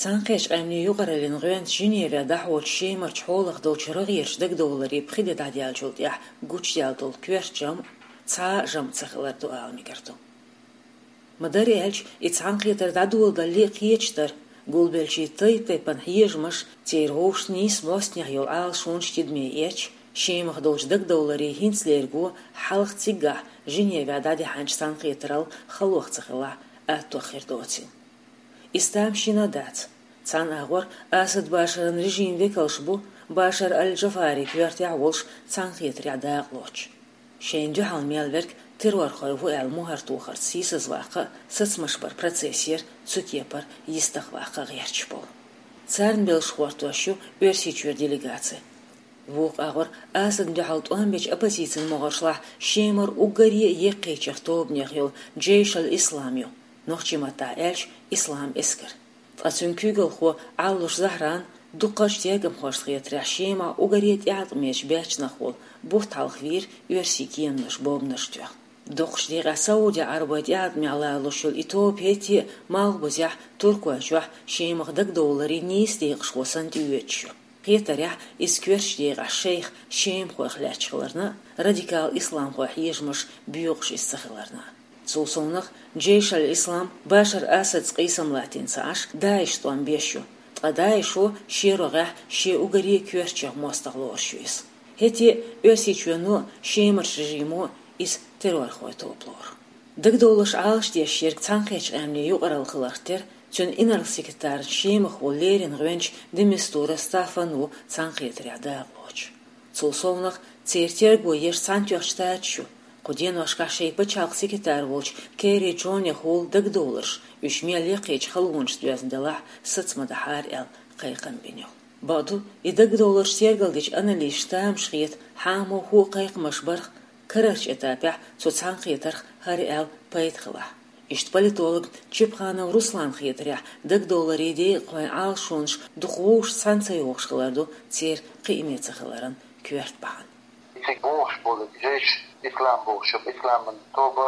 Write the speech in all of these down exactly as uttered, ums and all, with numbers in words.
Цхьаьнакхеттачу Къаьмнийн Юкъараллин гӀоьнца Женевехь дӀахьочу Шемарчу хьолах долчу рогӀерчу дагадовларийн пхи де дӀадаьллачул тӀаьхьа гучудаьлла долу коьрта жамӀ цхьа а жамӀ ца хилар ду ала мегар ду. Ма-дарра аьлча, и цхьаьнакхетар дӀадоладалале а кхеташ дара, гулбеллачийн тайп-тайпана хьежамаш, церан вовшашца нийса бӀостанехьа йолу Ӏалашонаш тидаме эцча, Шемах долчу дагадовларийн хӀинцалерго хьалха циггахь Женевехь дӀадаьхьначу цхьаьнакхетаралла халох ца хилахь, аттох хир доцийла. Иза тамашийна а дац. Цхьана агӀор Асад Башаран режиман векалш бу Башар аль-Джафари коьртехь а волуш цхьаьнакхетарехь дакъалоцуш. Шайна дуьхьал мел верг террорхой ву аьлла мухӀар тохарца сийсазваккха а, сацамаш баран процессера цу кепара йистехваккха а гӀерташ болу. Царна белшаш хӀоттош ю Оьрсийчуьра делегаци. Вукху агӀор Асадна дуьхьал тӀом бечу оппозицин могӀаршлахь Шемара уггаре а еккхийчех тобанех йолу Джейш аль-Ислам ю, нохчийн маттахь аьлча, Ислам эскар. Ткъа цуьнан куьйгалхо Ӏаллуш Захьран дукхачу тергамхошна хетарехь Шемахь уггаре а тӀеӀаткъамечу баьччанах волу бутт хьалха вийра оьрсийн кеманаш бомбанаш тоьхна. Доккхачу декъехь Саудия-Ӏарбойн тӀеӀаткъамехь лоруш йолу и тоба хӀетте а Малхбузехь, Туркойчохь Шемах дагадовларийн нийса декъашхо санна тӀеоьцуш ю. Хетарехь, иза коьртачу декъехь шайх шемахойх лаьтташ хиларна а, радикал исламхойн хьежамаш боькъуш иза ца хиларна а. Цул совнаха, Джейш аль-Ислам Башар Асадца къийсам латтийна ца Ӏаш, ДАИШ тӀом беш ю, ткъа ДАИШо шен рогӀехь шен уггаре а коьртачех мостагӀа лоруш ю иза. ХӀетте а Оьрсийчоьно а, Шемарчу режимо а иза террорхойн тоба лору. Дагадовларш Ӏалашдеш ерг Цхьаьнакхеттачу Къаьмнийн юкъаралла хиларх тера, цуьнан инарла-секретарна Шемах волу леррина гӀоьнча де Мистура Стаффан ву цхьаьнакхетарехь дакъалоцуш. Цул совнаха, церан терго еш Цхьаьнатоьхначу Штаташа ю. Кху деношкахь шайн пачхьалкхан секретарь волчу Керри Джонехула дагадовларш, уьш мел яккхийчу халонашца доьзна делахь а, саца ма дахьара аьлла, кхайкхам бина ю. Бакъду, и дагадовларш тергалдечу аналисташна тамаш хета хьан а, муха а кхайкхамаш барх, карарчу этапехь цу цхьаьнакхетарх хӀара аьлла пайда хилахь. Иштта политологна Чепханов Русланна хетарехь, дагадовларийн декъахойн Ӏалашонаш дукха вовшашца цхьаьна ца йогӀуш хилар ду церан кхиаме ца хиларан коьрта бахьана. Цига бохуш болу Джейш Ислам бохуш, Исламан тоба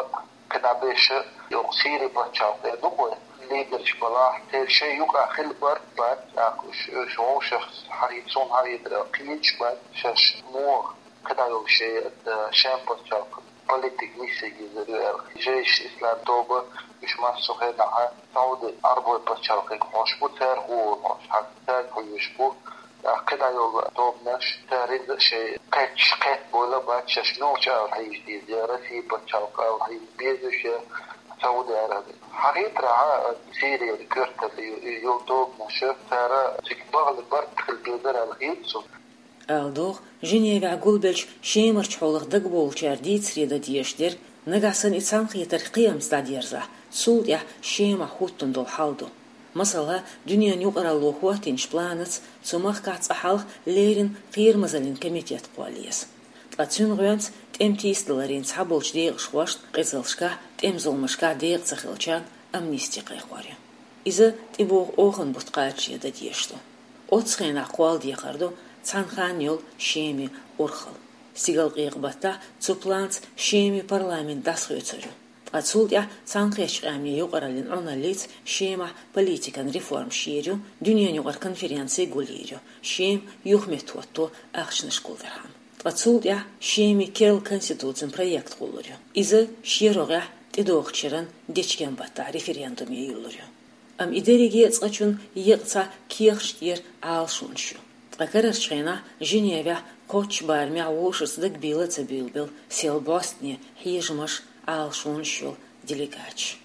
кхидӀа беша, йоккха Сири пачхьалкх эр ду-кх вай, лидерш балахь, церан шайн юкъахь хила бара бац, тӀаккха уьш, уьш вовшах хьахийта, суна хьахийта, кхеташ бац, шаьш муха кхидӀа йолу шайн, э, шен пачхьалкх политик миссиг йизар ю аьлла. Джейш Ислам тоба, уьш массо а хенахь Сауди Ӏарбойн пачхьалкхе хьош бу, цара хӀума хьош, хьан цаьрга хьоьжуш бу. ТӀаккха кхидӀа йолу тобанаш, цара иза шайн кхетча, кхетта бовла бац, шаьш муьлхачу ала хьийза деза, я Россия пачхьалкх ала хьийза беза уьш, я Сауди Араби. Хьахийтарехь, Сирияра коьрталла ю-, йолу тобанаш, цара цига бахьана барт хила безара аьлла хета суна. Ала догӀу, Женевехь гулбеллачу Шемарчу хьолах дагабовлучара дийцаре дан дезаш дерг, нагахь санна и цхьаьнакхетар кхиамца дӀадерзахь, цул тӀаьхьа Шемахь хӀуттун долу хьал ду. Масала, дуьненан юкъаралло хӀоттийначу планаца цу махкахь цкъа хьалха леррина кхерамазаллин комитет кхолла еза. Ткъа цуьнан гӀоьнца тӀеман тийсадаларийн цхьаболчу декъашхошна, къизаллашкахь, тӀеман зуламашкахь декъа ца хиллачарна амнисти кхайкхор ю. Иза тӀебогӀу охан бутт кхачаре дан дезаш ду. Оццу хенахь кхолладехар ду цхьана ханна йолу Шеман урхалла. Стигалкъекъа баттахь цу планца Шеман парламент дӀасахоьцур ю. Ткъа цул тӀаьхьа Цхьаьнакхеттачу Къаьмнийн юкъараллин Ӏуналлица Шемахь политикан реформаш йийр ю, дуьненан юкъара конференци гулйийр ю, Шема юхаметтахӀотто ахчанаш гулдархьама. Ткъа цул тӀаьхьа Шеман керла конституцин проект гӀуллур ю. Иза шен рогӀехь тӀедогӀучу шеран дечкен баттахь референдуме юьллур ю. Амма и дерриге а цкъачунна екъа цхьа кехаташ тӀера Ӏалашонаш ю. Ткъа карарчу хенахь Женевехь кхоччуш барамехь вовшашца дагабийла а ца буьйлабелла сел бӀостанехьа хьежамаш, Ӏалашонаш йолу делегаташ.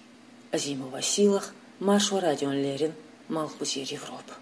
Азимова Сийлаха, Маршо радиона леррина, Малхбузера Европа.